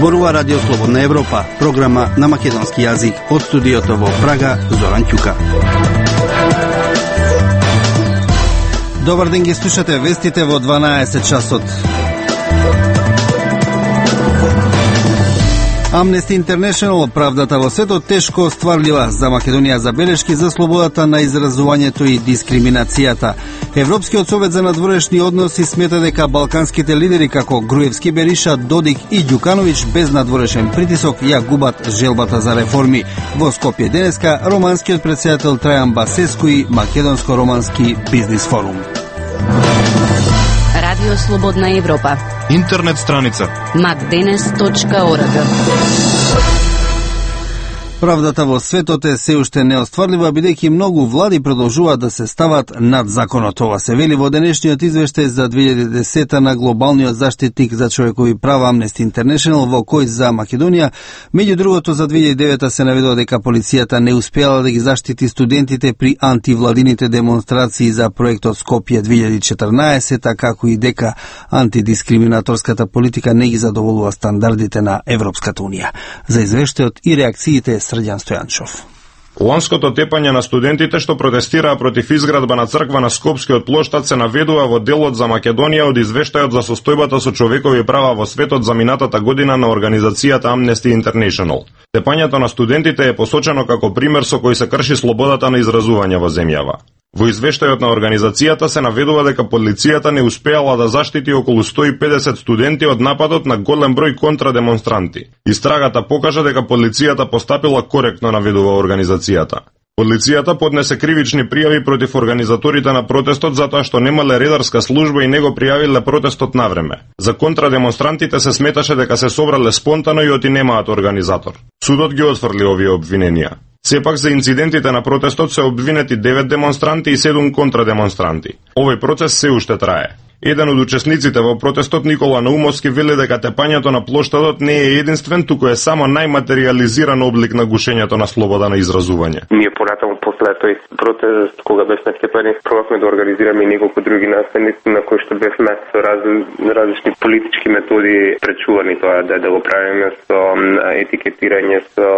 Зборува Радио Слободна Европа, програма на македонски јазик од студиото во Прага, Зоран Ќука. Добар ден, ги слушате вестите во 12 часот. Amnesty International, правдата во светот тешко остварлива. За Македонија забелешки за слободата на изразувањето и дискриминацијата. Европскиот совет за надворешни односи смета дека балканските лидери како Груевски, Бериша, Додик и Ѓукановиќ без надворешен притисок ја губат желбата за реформи. Во Скопје денеска романскиот претседател Трајан Басеску и Македонско-романски бизнис форум. Радио Слободна Европа. Интернет страница macdenes.org. Правдата во светот е се уште неостварлива, бидејќи многу влади продолжуваат да се стават над законот. Ова се вели во денешниот извештај за 2010 на глобалниот заштитник за човекови права Amnesty International, во кој за Македонија, меѓу другото за 2009 се наведува дека полицијата не успеала да ги заштити студентите при антивладините демонстрации за проектот Скопје 2014, како и дека антидискриминаторската политика не ги задоволува стандардите на Европската унија. За извештајот и реакциите Срđan Стојанчов. Ланското тепање на студентите што протестираа против изградба на црква на Скопскиот плоштад се наведува во делот за Македонија од извештајот за состојбата со човекови права во светот за минатата година на организацијата Amnesty International. Тепањето на студентите е посочено како пример со кој се крши слободата на изразување во земјава. Во извештајот на организацијата се наведува дека полицијата не успеала да заштити околу 150 студенти од нападот на голем број контрадемонстранти. Истрагата покажа дека полицијата постапила коректно, наведува организацијата. Полицијата поднесе кривични пријави против организаторите на протестот затоа што немале редарска служба и не го пријавиле протестот на време. За контрадемонстрантите се сметаше дека се собрале спонтано и оти немаат организатор. Судот ги отфрли овие обвиненија. Сепак за инцидентите на протестот се обвинети 9 демонстранти и 7 контрадемонстранти. Овој процес се уште трае. Еден од учесниците во протестот, Никола Наумовски, вели дека тепањето на плоштадот не е единствен, туку е само најматеријализиран облик на гушењето на слобода на изразување. Ние понатаму после тој протест, кога бевме тепани, пробавме да организираме и неколку други настани на кои што бевме со различни политички методи пречувани тоа да го правиме со етикетирање, со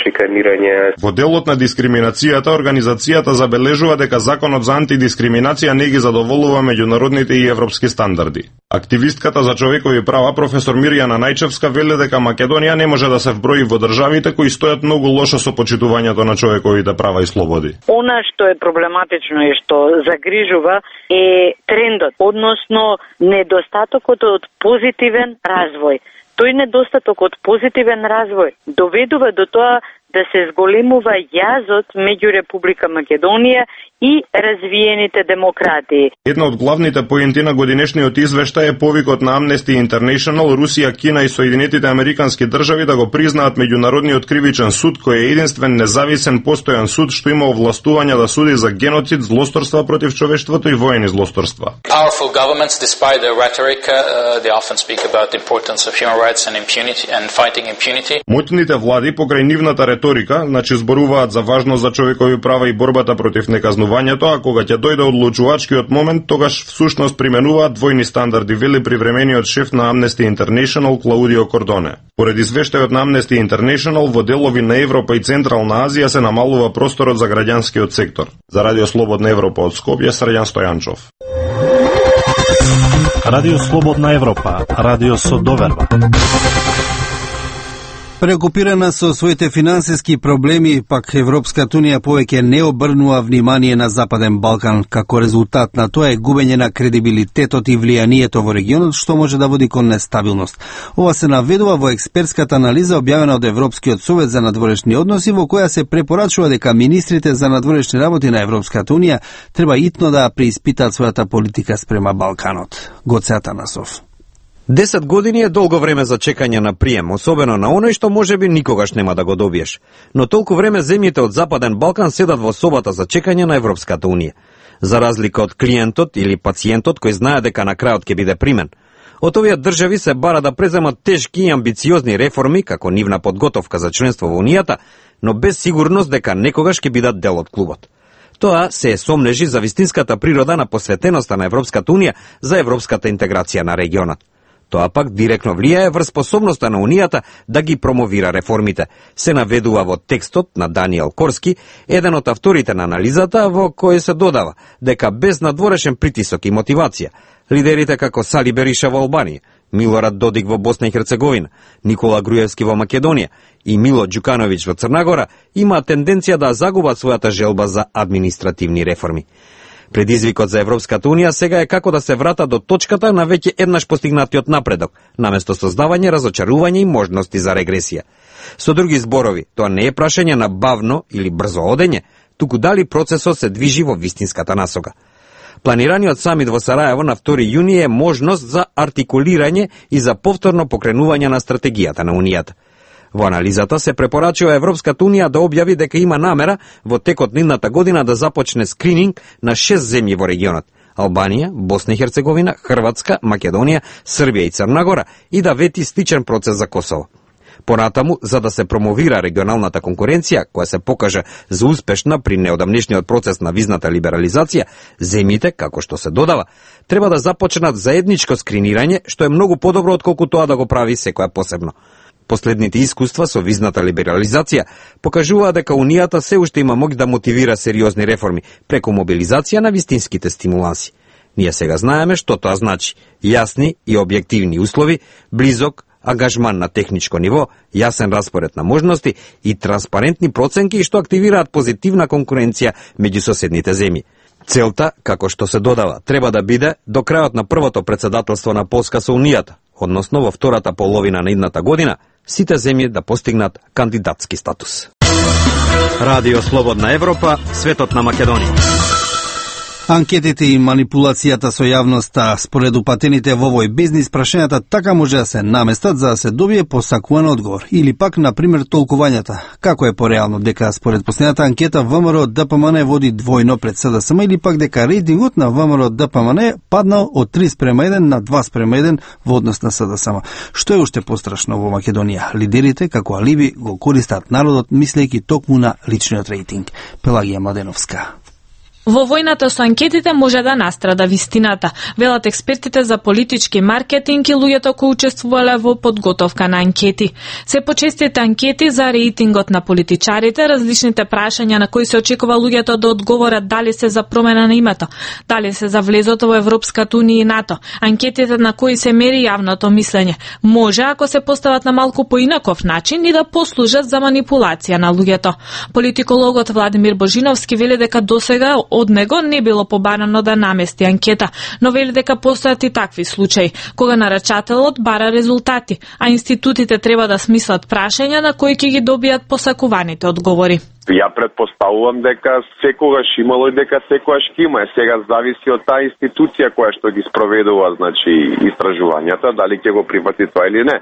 шиканирање. Во делот на дискриминацијата, организацијата забележува дека законот за антидискриминација не ги задоволува меѓународните и европски стандарди. Активистката за човекови права професор Мирјана Најчевска вели дека Македонија не може да се вброи во државите кои стојат многу лошо со почитувањето на човековите права и слободи. Она што е проблематично и што загрижува е трендот, односно недостатокот од позитивен развој. Тој недостаток од позитивен развој доведува до тоа да се зголемува јазот меѓу Република Македонија и развиените демократии. Една од главните поенти на годинешниот извештај е повикот на Amnesty International, Русија, Кина и Соединетите Американски држави да го признаат меѓународниот кривичен суд, кој е единствен независен постојан суд што има овластување да суди за геноцид, злосторства против човештвото и воени злосторства. Powerful governments, despite their rhetoric, they often speak about the importance of human rights and impunity and fighting impunity. Моćните влади покрај нивната риторика, значи зборуваат за важност за човекови права и борбата против неказнувањето, а кога ќе дојде одлучувачкиот момент, тогаш всушност применуваат двојни стандарди, вели привремениот шеф на Amnesty International Клаудио Кордоне. Поред извештајот на Amnesty International, во делови на Европа и Централна Азија се намалува просторот за граѓанскиот сектор. За Радио Слободна Европа од Скопје, Срđan Стојанчов. Радио Слободна Европа, радио со доверба. Преокупирана со своите финансиски проблеми, пак Европската унија повеќе не обрнува внимание на Западен Балкан. Како резултат на тоа е губење на кредибилитетот и влијанието во регионот, што може да води кон нестабилност. Ова се наведува во експертската анализа објавена од Европскиот совет за надворешни односи, во која се препорачува дека министрите за надворешни работи на Европската унија треба итно да преиспитаат својата политика спрема Балканот. Гоце Атанасов. 10 години е долго време за чекање на прием, особено на оној што можеби никогаш нема да го добиеш. Но толку време земјите од Западен Балкан седат во собата за чекање на Европската унија. За разлика од клиентот или пациентот кој знае дека на крајот ќе биде примен. Од овие држави се бара да преземат тешки и амбициозни реформи како нивна подготовка за членство во Унијата, но без сигурност дека некогаш ќе бидат дел од клубот. Тоа се сомнежи за вистинската природа на посветеноста на Европската унија за европската интеграција на регионот. Тоа пак директно влијае врз способноста на Унијата да ги промовира реформите. Се наведува во текстот на Даниел Корски, еден од авторите на анализата, во кој се додава дека без надворешен притисок и мотивација, лидерите како Сали Бериша во Албанија, Милорад Додик во Босна и Херцеговина, Никола Груевски во Македонија и Мило Ѓукановиќ во Црнагора имаат тенденција да загубат својата желба за административни реформи. Предизвикот за Европската Унија сега е како да се врата до точката на веќе еднаш постигнатиот напредок, наместо создавање, разочарување и можности за регресија. Со други зборови, тоа не е прашање на бавно или брзо одење, туку дали процесот се движи во вистинската насока. Планираниот самит во Сараево на 2 јуни е можност за артикулирање и за повторно покренување на стратегијата на Унијата. Во анализата се препорачува Европската Унија да објави дека има намера во текот на идната година да започне скрининг на 6 земји во регионот: Албанија, Босна и Херцеговина, Хрватска, Македонија, Србија и Црнагора, и да вети сличен процес за Косово. Понатаму, за да се промовира регионалната конкуренција, која се покажа за успешна при неодамнешниот процес на визната либерализација, земјите, како што се додава, треба да започнат заедничко скринирање, што е многу подобро отколку тоа да го прави секоја посебно. Последните искуства со визната либерализација покажуваа дека Унијата се уште има моќ да мотивира сериозни реформи преку мобилизација на вистинските стимуланси. Ние сега знаеме што тоа значи: јасни и објективни услови, близок ангажман на техничко ниво, јасен распоред на можности и транспарентни проценки што активираат позитивна конкуренција меѓу соседните земји. Целта, како што се додава, треба да биде до крајот на првото претседателство на Полска со Унијата, односно во втората половина на идната година, сите земји да постигнат кандидатски статус. Радио Слободна Европа, светот на Македонија. Анкетите и манипулацијата со јавноста, според упатените во овој бизнис, прашањата така може да се наместат за да се добие посакуван одговор. Или пак, например, толкувањата. Како е пореално дека според последната анкета ВМРО ДПМН води двојно пред СДСМ, или пак дека рейтингот на ВМРО ДПМН паднал од 3:1 на 2:1 во однос на СДСМ. Што е уште пострашно во Македонија? Лидерите како алиби го користат народот, мислејќи токму на личниот рейтинг. Пелагија Младеновска. Во војната со анкетите може да настрада вистината, велат експертите за политички маркетинг и луѓето кои учествувале во подготовка на анкети. Се почестите анкети за рейтингот на политичарите, различните прашања на кои се очекува луѓето да одговорат дали се за промена на името, дали се за влезото во Европската Унија и НАТО, анкетите на кои се мери јавното мислење, може, ако се постават на малку поинаков начин, и да послужат за манипулација на луѓето. Политикологот Владимир Божиновски вели дека досега од него не било побарано да намести анкета, но вели дека постојат и такви случаи, кога нарачателот бара резултати, а институтите треба да смислат прашања на кои ќе ги добијат посакуваните одговори. Ја предпоставувам дека секогаш имало и дека секогаш ќе има. Сега зависи од таа институција која што ги спроведува, значи, истражувањата, дали ќе го прифати тоа или не.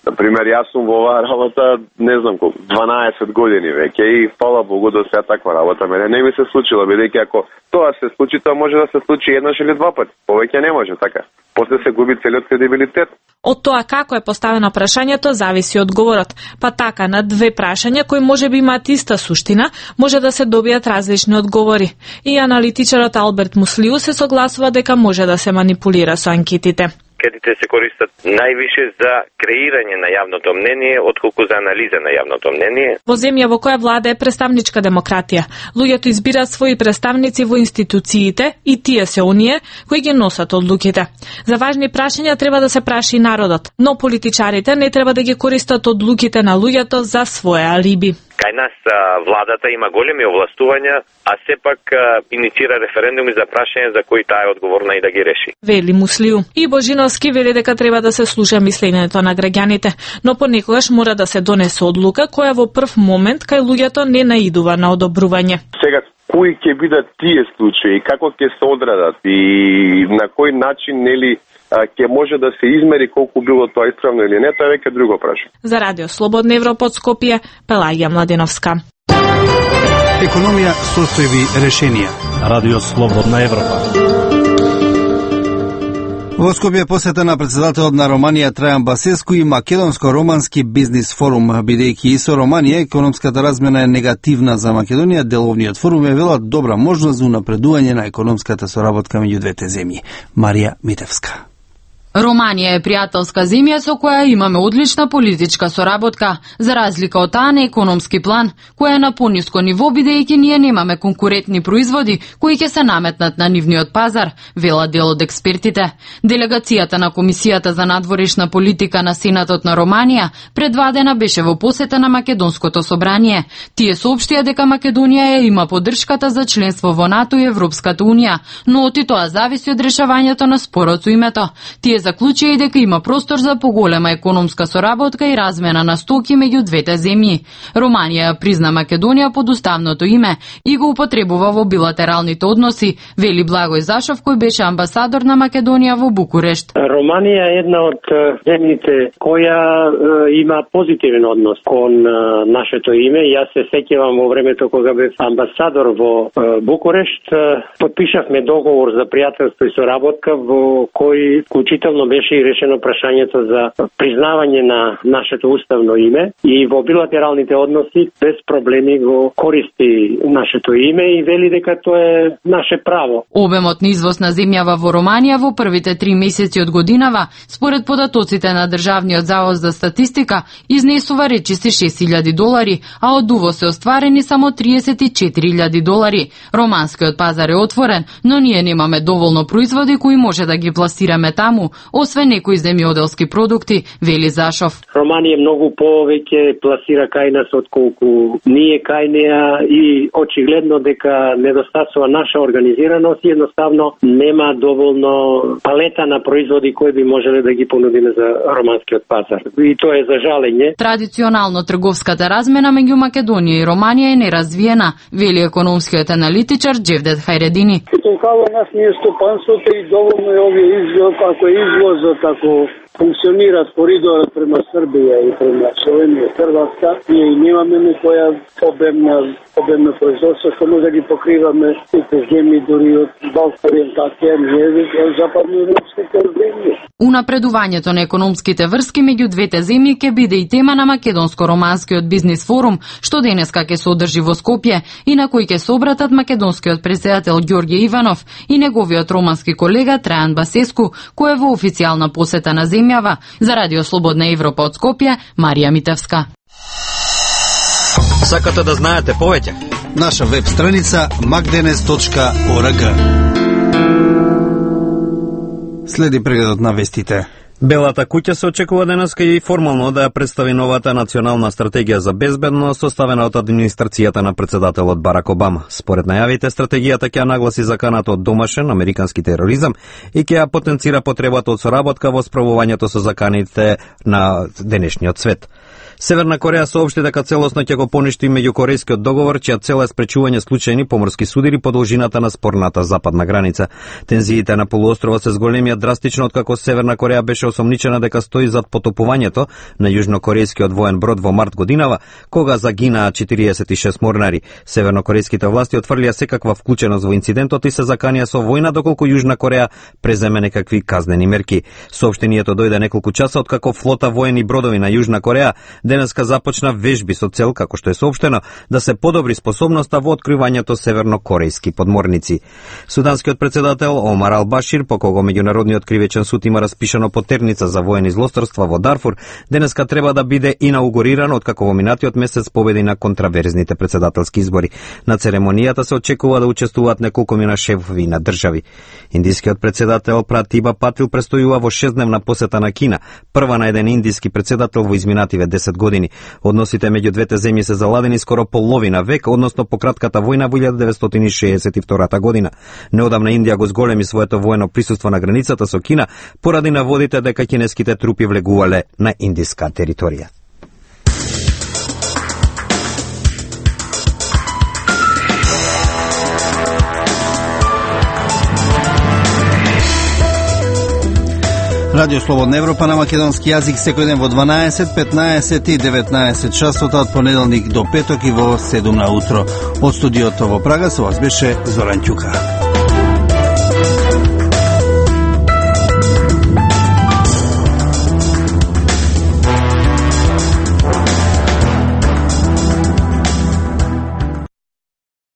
Например, јас сум во оваа работа, не знам колку, 12 години веќе и фала Богу до сега таква работа мене не ми се случило, бидејќи ако тоа се случи, тоа може да се случи еднаш или два пати. Повеќе не може, така. После се губи целиот кредибилитет. Од тоа како е поставено прашањето зависи одговорот. Па така, на две прашања кои можеби имаат иста суштина, може да се добијат различни одговори. И аналитичарот Алберт Муслиу се согласува дека може да се манипулира со анкетите. Анкетите се користат највише за креирање на јавното мнение, отколку за анализа на јавното мнение. Во земја во која владее представничка демократија, луѓето избираат своји представници во институциите и тие се оние кои ги носат одлуките. За важни прашања треба да се праши народот, но политичарите не треба да ги користат одлуките на луѓето за своја алиби. Кај нас владата има големи овластувања, а сепак иницира референдуми за прашања за кои таа е одговорна и да ги реши. Вели Муслиу. И Божиновски вели дека треба да се слуша мислењето на граѓаните, но понекогаш мора да се донесе одлука која во прв момент кај луѓето не наидува на одобрување. Сега, кои ќе бидат тие случаи, како ќе се одредат и на кој начин, нели, ќе може да се измери колку било тоа исправно или не, тоа е веќе друго прашање. За Радио Слободна Европа од Скопје, Пелагија Младеновска. Економија, состојби, решенија. Радио Слободна Европа. Во Скопје посета на председателот на Романија Трајан Басеску и Македонско-романски бизнис форум, бидејќи и со Романија економската размена е негативна за Македонија, деловниот форум е вела добра можност за унапредување на економската соработка меѓу двете земји. Марија Митевска. Романија е пријателска земја со која имаме одлична политичка соработка, за разлика од таа на економски план, која е на пониско ниво бидејќи ние немаме конкурентни производи кои ќе се наметнат на нивниот пазар, велат дел од експертите. Делегацијата на Комисијата за надворешна политика на Сенатот на Романија предвадена беше во посета на Македонското собрание. Тие соопштија дека Македонија има поддршката за членство во НАТО и Европската унија, но оти тоа зависи од решавањето на спорот со името. Тие заклучија и дека има простор за поголема економска соработка и размена на стоки меѓу двете земји. Романија призна Македонија под уставното име и го употребува во билатералните односи, вели Благој Зашов, кој беше амбасадор на Македонија во Букурешт. Романија е една од земјите која има позитивен однос кон нашето име. Јас се сеќавам во времето кога бев амбасадор во Букурешт, подпишавме договор за пријателство и соработка во кој вклучително беше и решено прашањето за признавање на нашето уставно име и во билатералните односи без проблеми го користи нашето име и вели дека тоа е наше право. Обемот на извоз на земјава во Романија во првите 3 месеци од годинава, според податоците на Државниот завод за статистика, изнесува речиси $6.000, а од увоз се остварени само $34.000. Романскиот пазар е отворен, но ние немаме доволно производи кои може да ги пласираме таму, освен некои земјоделски продукти, вели Зашов. Романија многу повеќе пласира кај нас отколку ние кај неа и очигледно дека недостасува наша организираност и едноставно нема доволно палета на производи кои би можеле да ги понудиме за романскиот пазар. И тоа е за жалење. Традиционално трговската размена меѓу Македонија и Романија е неразвиена, вели економскиот аналитичар Джевдет Хајредини. Толкова нас не е стопанството и доволно е овие извоз, ако е извозот, ако функционират коридорот према Србија и према Словенија, Хрватска, ние и немаме некоја обемна производство, што може да ги покриваме сите земји, дури од Балка ориентација, ние од западноевропските земји. Унапредувањето на економските врски меѓу двете земји ќе биде и тема на Македонско-романскиот бизнис форум, што денеска ќе се одржи во Скопје и на кој ќе се обратат македонскиот претседател Ѓорѓе Иванов и неговиот романски колега Трајан Басеску, кој е во официјална посета на земјава. За Радио Слободна Европа од Скопје, Марија Митевска. Сакате да знаете повеќе? Наша веб страница magdenes.org. Следи прегледот на вестите. Белата куќа се очекува денеска и формално да ја представи новата национална стратегија за безбедност составена од администрацијата на председателот Барак Обама. Според најавите, стратегијата ќе ја нагласи заканата од домашен американски тероризам и ќе ја потенцира потребата од соработка во справувањето со заканите на денешниот свет. Северна Кореја соопшти дека целосно ќе го поништи меѓукорејскиот договор, чија цел е спречување случајни поморски судири по должината на спорната западна граница. Тензиите на полуостровот се зголемија драстично откако Северна Кореја беше осомничена дека стои зад потопувањето на јужнокорејскиот воен брод во март годинава, кога загинаа 46 морнари. Севернокорејските власти отфрлија секаква вклученост во инцидентот и се заканија со војна доколку Јужна Кореја преземе некакви казнени мерки. Соопштението дојде неколку часа откако флота воени бродови на Јужна Кореја денеска започна вежби со цел, како што е соопштено, да се подобри способноста во откривањето севернокорејски подморници. Суданскиот председател Омар Ал-Башир, по кого меѓународниот кривичен суд има распишано потерница за воени злосторства во Дарфур, денеска треба да биде инаугуриран откако во минатиот месец победи на контраверзните председателски избори. На церемонијата се очекува да учествуваат неколкумина шефови на држави. Индискиот председател Пратиба Патил престојува во 6-дневна посета на Кина, прва на еден индиски председател во изминативе 10 години. Односите меѓу двете земји се заладени скоро половина век, односно по кратката војна во 1962 година. Неодамна Индија го зголеми своето воено присуство на границата со Кина поради наводите дека кинеските трупи влегувале на индиска територија. Радио Слободна Европа на македонски јазик секој ден во 12, 15 и 19 часот од понеделник до петок и во 7 на утро. Од студиото во Прага со вас беше Зоран Ќука.